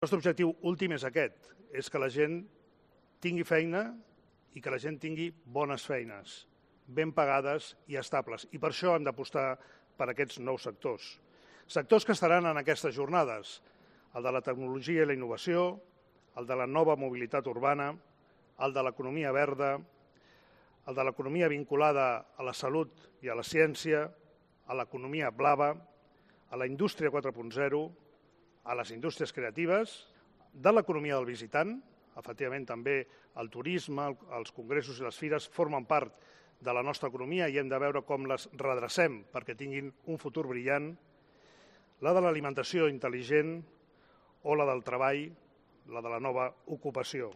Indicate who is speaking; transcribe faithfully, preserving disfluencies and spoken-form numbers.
Speaker 1: El nostre objectiu últim és aquest, és que la gent tingui feina i que la gent tingui bones feines, ben pagades i estables. I per això hem d'apostar per aquests nous sectors. Sectors que estaran en aquestes jornades, el de la tecnologia i la innovació, el de la nova mobilitat urbana, el de l'economia verda, el de l'economia vinculada a la salut i a la ciència, a l'economia blava, a la indústria quatre punt zero, a les indústries creatives, de l'economia del visitant, efectivament també el turisme, els congressos i les fires formen part de la nostra economia i hem de veure com les redrecem perquè tinguin un futur brillant, la de l'alimentació intel·ligent o la del treball, la de la nova ocupació.